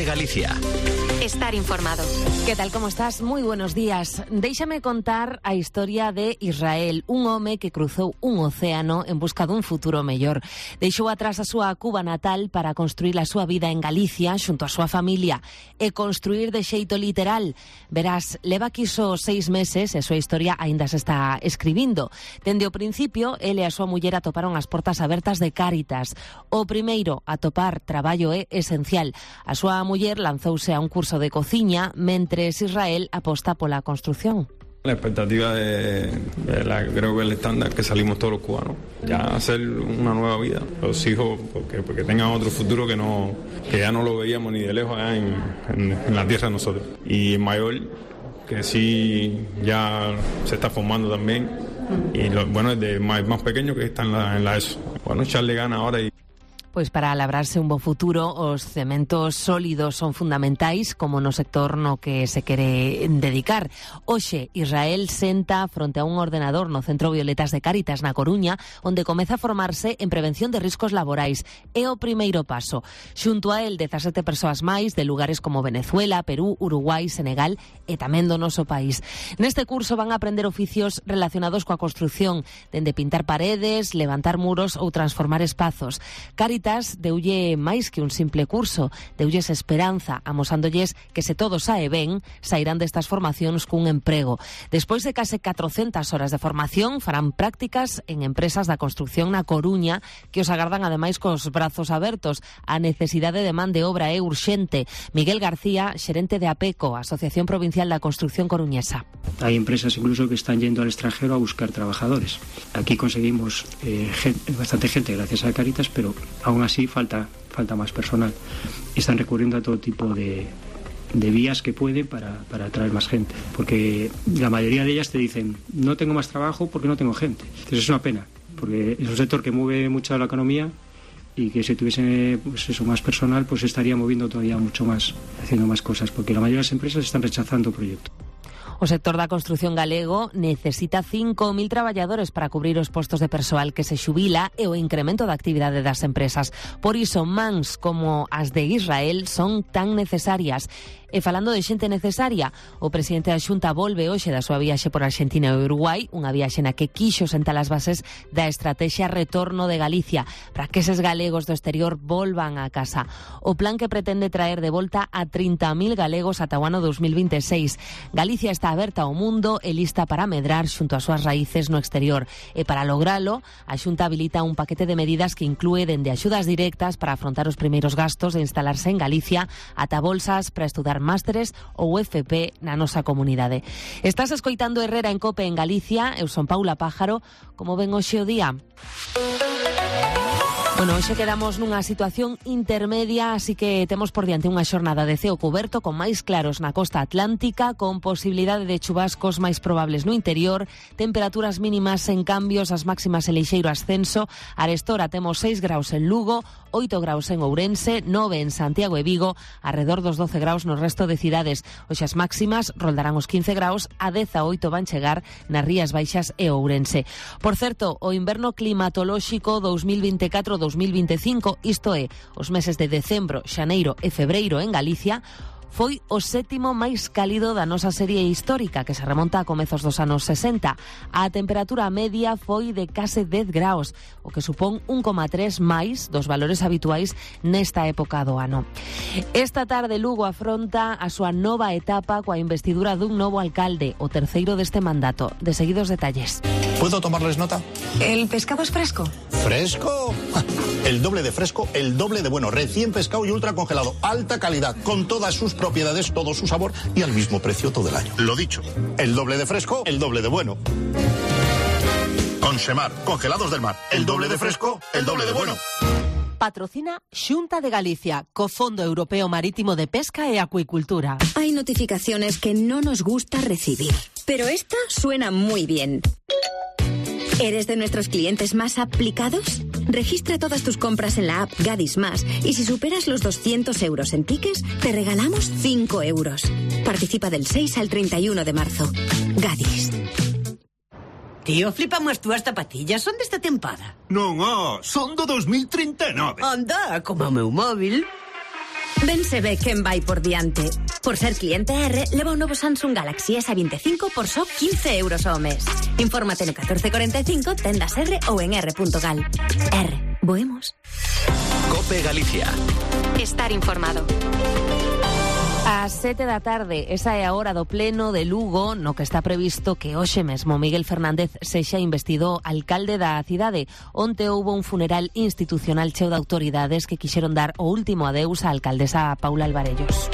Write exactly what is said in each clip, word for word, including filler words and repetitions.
de Galicia. Estar informado. ¿Qué tal, cómo estás? Muy buenos días. Déixame contar a historia de Israel, un home que cruzou un océano en busca dun futuro mellor. Deixou atrás a súa Cuba natal para construir a súa vida en Galicia xunto a súa familia e construir de xeito literal. Verás, leva aquí só seis meses e a súa historia aínda se está escribindo. Dende o principio, ele e a súa muller atoparon as portas abertas de Cáritas. O primeiro, atopar traballo é esencial. A súa muller lanzouse a un curso de cociña, mentres Israel aposta pola construcción. La expectativa de, de la, creo que el estándar que salimos todos los cubanos, ya hacer una nueva vida, los hijos, porque, porque tengan otro futuro que no que ya no lo veíamos ni de lejos allá en, en, en la tierra de nosotros. Y mayor, que sí ya se está formando también, y lo, bueno, es de más, más pequeño que está en la, en la ESO. Bueno, echarle ganas ahora y Pois para labrarse un bo futuro, os cementos sólidos son fundamentais, como no sector no que se quere dedicar. Hoxe, Israel senta fronte a un ordenador no Centro Violetas de Cáritas, na Coruña, onde comeza a formarse en prevención de riscos laborais. É o primeiro paso. Xunto a el, dezasete persoas máis de lugares como Venezuela, Perú, Uruguai, Senegal e tamén do noso país. Neste curso van a aprender oficios relacionados coa construción, dende pintar paredes, levantar muros ou transformar espazos. Cáritas deulle máis que un simple curso, deulles esperanza, amosándolles que se todo sae ben, sairán destas formacións cun emprego. Despois de case catrocentas horas de formación, farán prácticas en empresas da construcción na Coruña, que os agardan ademais cos brazos abertos. A necesidade de man de obra é urxente. Miguel García, xerente de APECO, Asociación Provincial da Construcción Coruñesa. Hay empresas incluso que están yendo al extranjero a buscar trabajadores. Aquí conseguimos eh, gente, bastante gente gracias a Cáritas, pero aún así falta, falta más personal. Están recurriendo a todo tipo de, de vías que pueden para, para atraer más gente, porque la mayoría de ellas te dicen no tengo más trabajo porque no tengo gente. Entonces es una pena, porque es un sector que mueve mucho la economía y que si tuviese pues eso, más personal, pues estaría moviendo todavía mucho más, haciendo más cosas, porque la mayoría de las empresas están rechazando proyectos. O sector da construción galego necesita cinco mil traballadores para cubrir os postos de persoal que se xubila e o incremento da actividade das empresas. Por iso, mans como as de Israel son tan necesarias. E falando de xente necesaria, o presidente da Xunta volve hoxe da súa viaxe por Argentina e Uruguai, unha viaxe na que quixo sentar as bases da estrategia Retorno de Galicia, para que eses galegos do exterior volvan a casa. O plan que pretende traer de volta a trinta mil galegos ata o ano dos mil veintiséis. Galicia está aberta ao mundo e lista para medrar xunto ás súas raíces no exterior. E para logralo, a Xunta habilita un paquete de medidas que inclúe dende axudas directas para afrontar os primeiros gastos de instalarse en Galicia ata bolsas para estudar másteres ou F P na nosa comunidade. Estás escoitando Herrera en Cope en Galicia, eu son Paula Pájaro. Como ven hoxe o día? Bueno, hoxe quedamos nunha situación intermedia, así que temos por diante unha xornada de ceo cuberto con máis claros na costa atlántica, con posibilidade de chubascos máis probables no interior, temperaturas mínimas en cambios, as máximas en lixeiro ascenso. Arestora temos seis graus en Lugo, oito graus en Ourense, nove en Santiago e Vigo, arredor dos doce graus no resto de cidades. Hoxe as máximas roldarán os quince graus, a dezaoito van chegar nas Rías Baixas e Ourense. Por certo, o inverno climatolóxico dos mil veinticuatro dos mil veinticinco, isto é, os meses de decembro, xaneiro e febreiro en Galicia, foi o sétimo máis cálido da nosa serie histórica, que se remonta a comezos dos anos sesenta. A temperatura media foi de case dez graus, o que supón un coma tres máis dos valores habituais nesta época do ano. Esta tarde Lugo afronta a súa nova etapa coa investidura dun novo alcalde, o terceiro deste mandato. De seguidos detalles. ¿Puedo tomarles nota? ¿El pescado es fresco? ¿Fresco? El doble de fresco, el doble de bueno, recién pescado y ultra congelado, alta calidad, con todas sus propiedades, todo su sabor y al mismo precio todo el año. Lo dicho, el doble de fresco, el doble de bueno. Consemar, congelados del mar, el doble de fresco, el doble de bueno. Patrocina Xunta de Galicia, co Fondo Europeo Marítimo de Pesca e Acuicultura. Hay notificaciones que no nos gusta recibir, pero esta suena muy bien. ¿Eres de nuestros clientes más aplicados? Registra todas tus compras en la app Gadis Más y si superas los doscientos euros en tickets, te regalamos cinco euros. Participa del seis al treinta y uno de marzo. Gadis. Tío, flipamos as túas zapatillas, son desta tempada. Non, oh, son do dos mil treinta e nove. Anda, como o meu móvil. Ben se ve quen vai por diante. Por ser cliente R, leva un novo Samsung Galaxy S veinticinco por só quince euros ao mes. Infórmate no catorce cuarenta y cinco, tendas R ou en r punto gal. R, boemos. COPE Galicia. Estar informado. Ás sete da tarde, esa é a hora do pleno de Lugo, no que está previsto que hoxe mesmo Miguel Fernández sexa investido alcalde da cidade. Onte houbo un funeral institucional cheo de autoridades que quixeron dar o último adeus á alcaldesa Paula Alvarellos.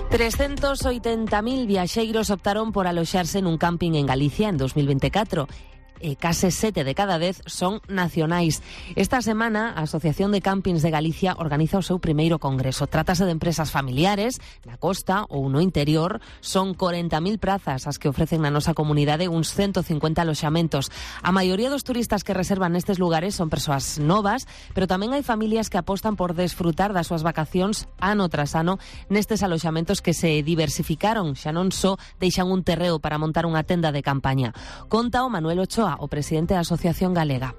trescentos oitenta mil viaxeiros optaron por aloxarse nun camping en Galicia en dos mil veinticuatro. E case sete de cada dez son nacionais. Esta semana, a Asociación de Campings de Galicia organiza o seu primeiro congreso. Trátase de empresas familiares, na costa ou no interior. Son corenta mil prazas as que ofrecen na nosa comunidade, uns ciento cincuenta aloxamentos. A maioría dos turistas que reservan nestes lugares son persoas novas, pero tamén hai familias que apostan por desfrutar das súas vacacións ano tras ano nestes aloxamentos que se diversificaron. Xa non só deixan un terreo para montar unha tenda de campaña. Conta o Manuel Ochoa, o presidente da Asociación Galega.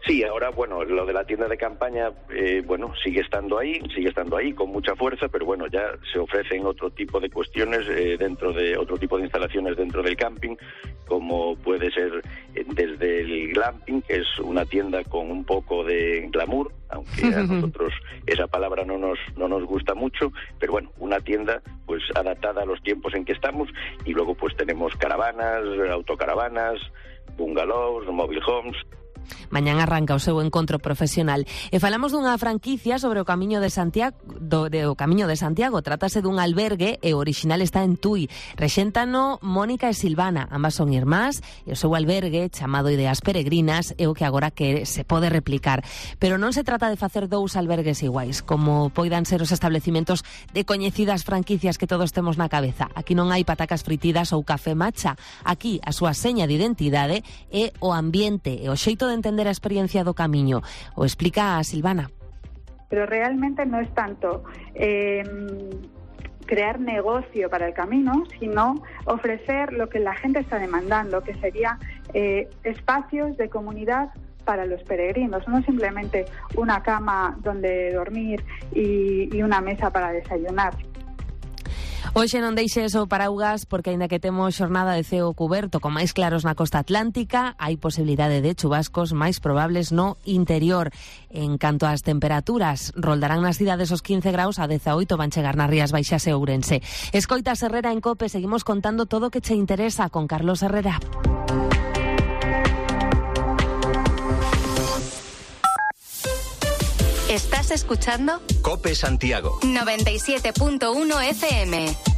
Sí, ahora, bueno, lo de la tienda de campaña, eh, bueno, sigue estando ahí, sigue estando ahí con mucha fuerza, pero bueno, ya se ofrecen otro tipo de cuestiones eh, dentro de otro tipo de instalaciones dentro del camping, como puede ser eh, desde el glamping, que es una tienda con un poco de glamour, aunque a nosotros esa palabra no nos no nos gusta mucho, pero bueno, una tienda pues adaptada a los tiempos en que estamos, y luego pues tenemos caravanas, autocaravanas, bungalows, mobile homes. Mañán arranca o seu encontro profesional e falamos dunha franquicia sobre o Camiño de Santiago do, de, o Camiño de Santiago. Trátase dun albergue e o orixinal está en Tui. Rexéntano Mónica e Silvana, ambas son irmás, e o seu albergue, chamado Ideas Peregrinas, é o que agora que se pode replicar. Pero non se trata de facer dous albergues iguais, como poidan ser os establecimentos de coñecidas franquicias que todos temos na cabeza. Aquí non hai patacas fritidas ou café matcha. Aquí a súa seña de identidade é o ambiente e o xeito de entender a experiencia do Camiño. O explica a Silvana. Pero realmente no es tanto eh, crear negocio para el camino, sino ofrecer lo que la gente está demandando, que sería eh, espacios de comunidad para los peregrinos, no simplemente una cama donde dormir y, y una mesa para desayunar. Hoxe non deixes o paraugas porque aínda que temos xornada de ceo cuberto con máis claros na costa atlántica, hai posibilidade de chubascos máis probables no interior. En canto ás temperaturas, roldarán nas cidades os quince graus, a dezaoito van chegar nas Rías Baixas e Ourense. Escoitas Herrera en COPE, seguimos contando todo o que che interesa con Carlos Herrera. ¿Estás escuchando? COPE Santiago noventa y siete punto uno F M.